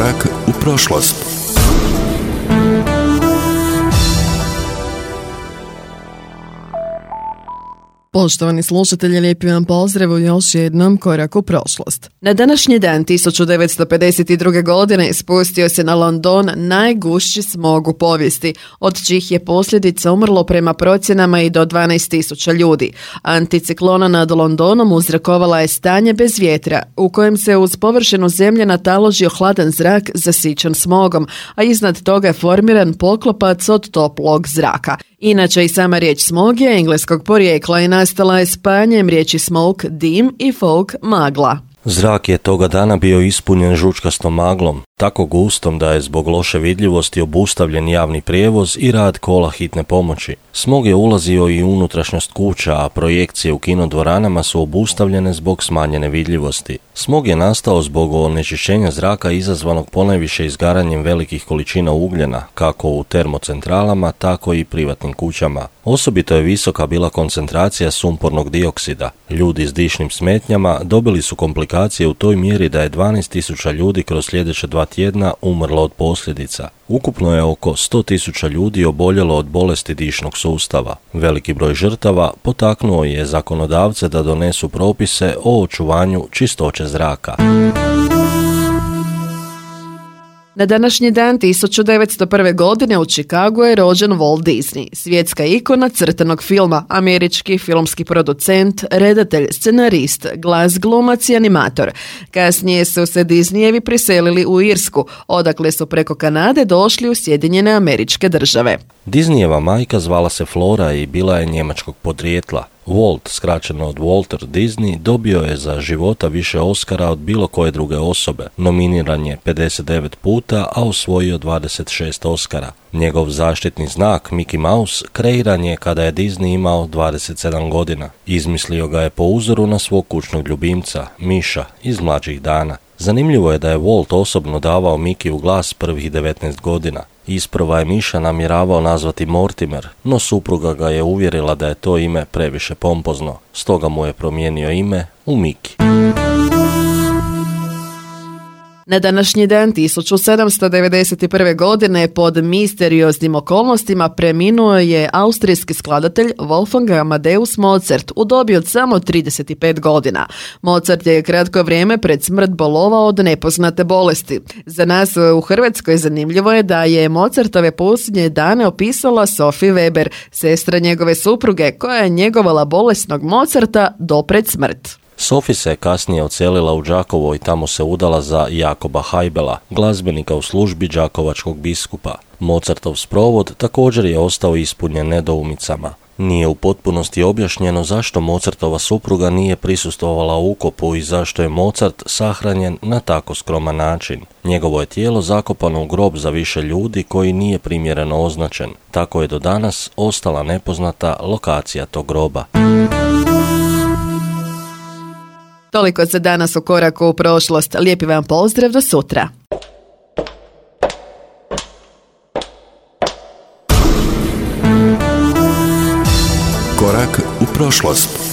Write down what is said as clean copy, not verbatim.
Korak u prošlost. Poštovani slušatelji, lijepi vam pozdrav u još jednom Koraku u prošlost. Na današnji dan 1952. godine spustio se na London najgušći smog u povijesti, od čijih je posljedica umrlo prema procjenama i do 12.000 ljudi. Anticiklona nad Londonom uzrokovala je stanje bez vjetra, u kojem se uz površinu zemlje nataložio hladan zrak zasićen smogom, a iznad toga je formiran poklopac od toplog zraka. Inače i sama riječ smog je engleskog porijekla i nastala je spajanjem riječi smoke, dim i fog, magla. Zrak je toga dana bio ispunjen žučkastom maglom, tako gustom da je zbog loše vidljivosti obustavljen javni prijevoz i rad kola hitne pomoći. Smog je ulazio i u unutrašnjost kuća, a projekcije u kinodvoranama su obustavljene zbog smanjene vidljivosti. Smog je nastao zbog onečišćenja zraka izazvanog ponajviše izgaranjem velikih količina ugljena, kako u termocentralama, tako i privatnim kućama. Osobito je visoka bila koncentracija sumpornog dioksida. Ljudi s dišnim smetnjama dobili su komplikacije u toj mjeri da je 12.000 ljudi kroz sljedeća 2 tjedna umrlo od posljedica. Ukupno je oko 100.000 ljudi oboljelo od bolesti dišnog sustava. Veliki broj žrtava potaknuo je zakonodavce da donesu propise o očuvanju čistoće zraka. Na današnji dan 1901. godine u Chicagu je rođen Walt Disney, svjetska ikona crtanog filma, američki filmski producent, redatelj, scenarist, glas glumac i animator. Kasnije su se Disneyevi priselili u Irsku, odakle su preko Kanade došli u Sjedinjene Američke Države. Disneyjeva majka zvala se Flora i bila je njemačkog podrijetla. Walt, skraćeno od Walter Disney, dobio je za života više Oscara od bilo koje druge osobe. Nominiran je 59 puta, a osvojio 26 Oscara. Njegov zaštitni znak, Mickey Mouse, kreiran je kada je Disney imao 27 godina. Izmislio ga je po uzoru na svog kućnog ljubimca, Miša, iz mlađih dana. Zanimljivo je da je Walt osobno davao Mickey u glas prvih 19 godina. Isprva je Miša namjeravao nazvati Mortimer, no supruga ga je uvjerila da je to ime previše pompozno, stoga mu je promijenio ime u Mickey. Na današnji dan 1791. godine pod misterioznim okolnostima preminuo je austrijski skladatelj Wolfgang Amadeus Mozart u dobi od samo 35 godina. Mozart je kratko vrijeme pred smrt bolovao od nepoznate bolesti. Za nas u Hrvatskoj zanimljivo je da je Mozartove posljednje dane opisala Sophie Weber, sestra njegove supruge, koja je njegovala bolesnog Mozarta do pred smrt. Sophie se kasnije odselila u Đakovo i tamo se udala za Jakoba Haibela, glazbenika u službi đakovačkog biskupa. Mozartov sprovod također je ostao ispunjen nedoumicama. Nije u potpunosti objašnjeno zašto Mozartova supruga nije prisustvovala ukopu i zašto je Mozart sahranjen na tako skroman način. Njegovo je tijelo zakopano u grob za više ljudi koji nije primjereno označen. Tako je do danas ostala nepoznata lokacija tog groba. Toliko za danas u Koraku u prošlost. Lijepi vam pozdrav, do sutra. Korak u prošlost.